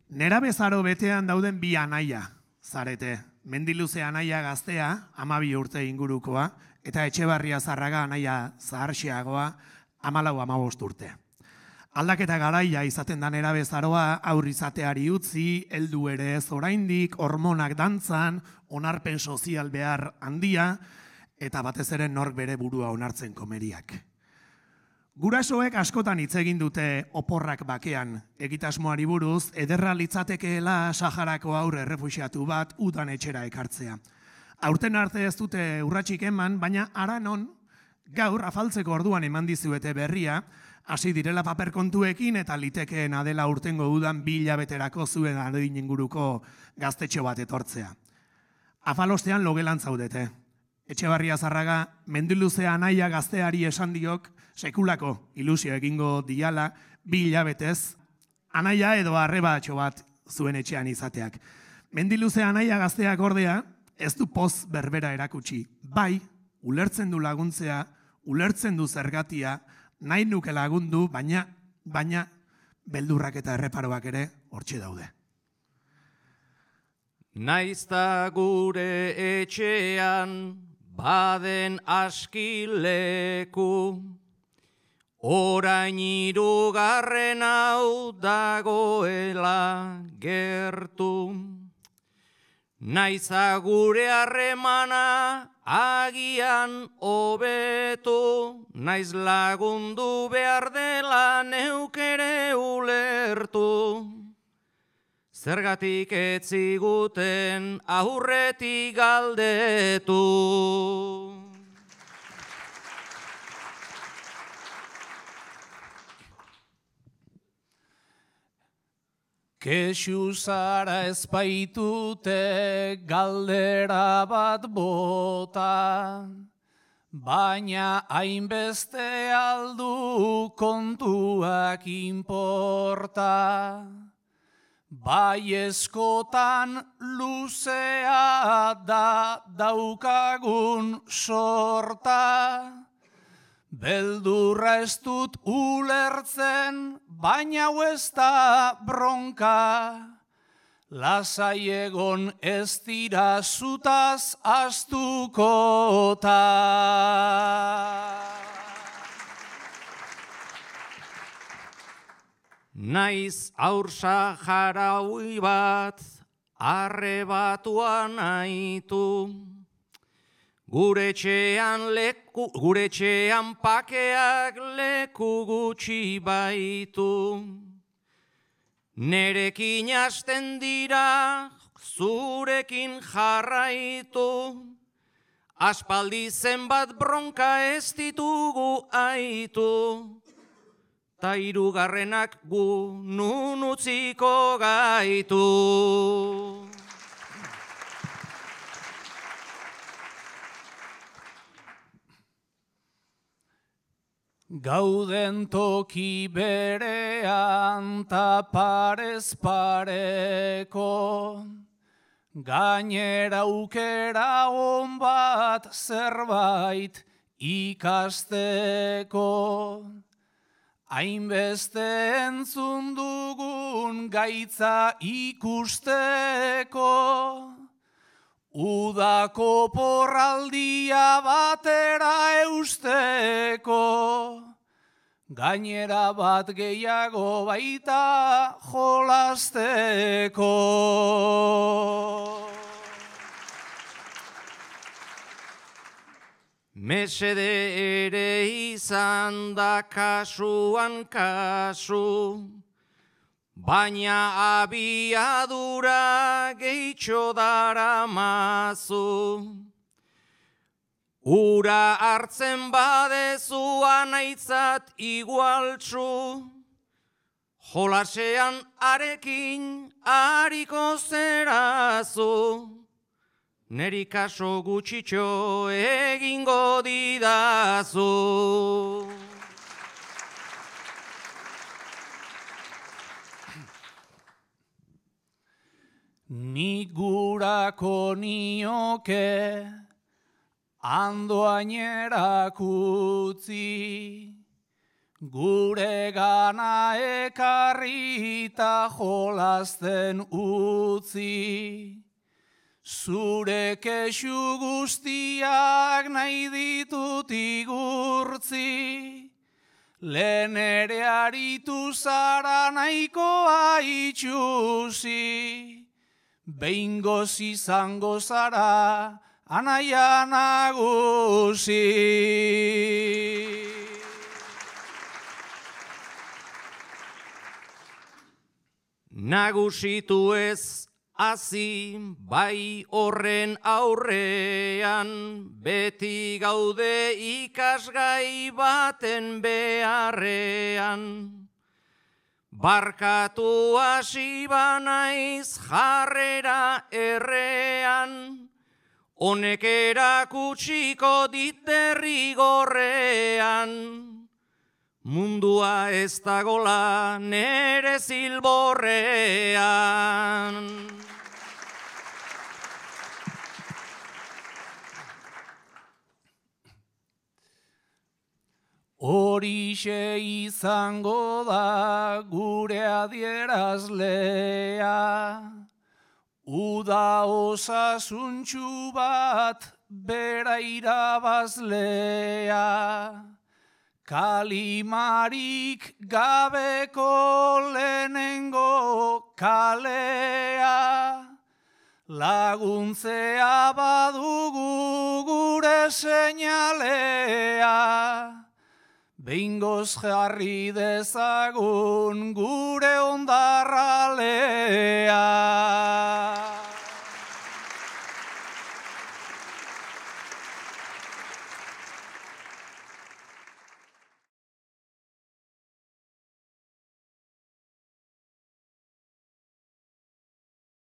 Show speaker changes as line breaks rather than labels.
Nerabezaro betean dauden bi anaia, zarete. Mendiluze anaia gaztea, 12 urte ingurukoa, eta Etxebarria Zarraga anaia zaharxeagoa, 14-15 urte. Aldaketa garaia izaten da nerabezaroa, aurri izateari utzi, heldu ere ez oraindik, hormonak dantzan, onarpen sozial behar handia, eta batez ere nork bere burua onartzen komeriak. Gurasoek askotan hitz egin dute oporrak bakean egitasmoari buruz, ederra litzatekeela Saharako haur errefuxiatu bat udan etxera ekartzea. Aurten arte ez dute urratsik eman, baina haranon gaur afaltzeko orduan eman dizuete berria, hasi direla paper kontuekin eta litekeen adela urtengo udan 2 hilabeterako zuen adin inguruko gaztetxo bat etortzea. Afalostean logelan zaudete. Etxebarria Zarraga, Mendiluze anaia gazteari esan diok, sekulako ilusio egingo diala, 2 hilabetez, anaia edo arrebatxo bat zuen etxean izateak. Mendiluze anaia gazteak ordea, ez du poz berbera erakutsi. Bai, ulertzen du laguntzea, ulertzen du zergatia, nahi nuke lagundu, baina beldurrak eta erreparoak ere hortxe daude.
Naizta gure etxean baden askileku, orain 3. hau dagoela gertu. Naiza gure harremana agian hobetu, naiz lagundu behar dela neukere ulertu. Zergatik ez ziguten aurretik galdetu.
Kexu zara ezpaitute galdera bat bota, baina hainbeste aldu kontuak inporta. Bai eskotan luzea da daukagun sorta, beldurra ez dut ulertzen, baina hau ez da bronka. Lasai egon ez dira zutaz astuko.
Naiz aur saharaui bat arrebatuan aitu, gure etxean pakeak leku gutxi baitu. Nerekin hasten dira, zurekin jarraitu, aspaldi zenbat bronka ez ditugu aitu. Ta 3. gu nun utziko gaitu.
Gauden toki berean ta parez pareko, gainera aukera on bat zerbait ikasteko. Hainbeste entzun dugun gaitza ikusteko, udako porraldia batera eusteko, gainera bat gehiago baita jolasteko.
Mesede ere izan da kasuan kasu, baina abiadura gehitxo daramazu. Ura hartzen badezu anaitzat igualtsu, jolasean arekin hariko zerazu. Neri kaso gutxitxo egingo didazu.
Nik gurako nioke andoainerak utzi, gure gana ekarri ta jolasten utzi. Zure kexu guztiak nahi ditut igurtzi, lehen ere aritu zara nahikoa itxusi, behingoz izango zara anaia nagusi.
Nagusitu ez hazi bai horren aurrean, beti gaude ikasgai baten beharrean. Barkatu hasi banaiz jarrera errean, honek erakutsiko dit derrigorrean. Mundua ez dagola nere zilborrean.
Horixe izango da gure adierazlea, uda osasuntxu bat bera irabazlea. Kalimarik gabeko lehenengo kalea, laguntzea badugu gure seinalea. Behingoz jarri dezagun gure ondarra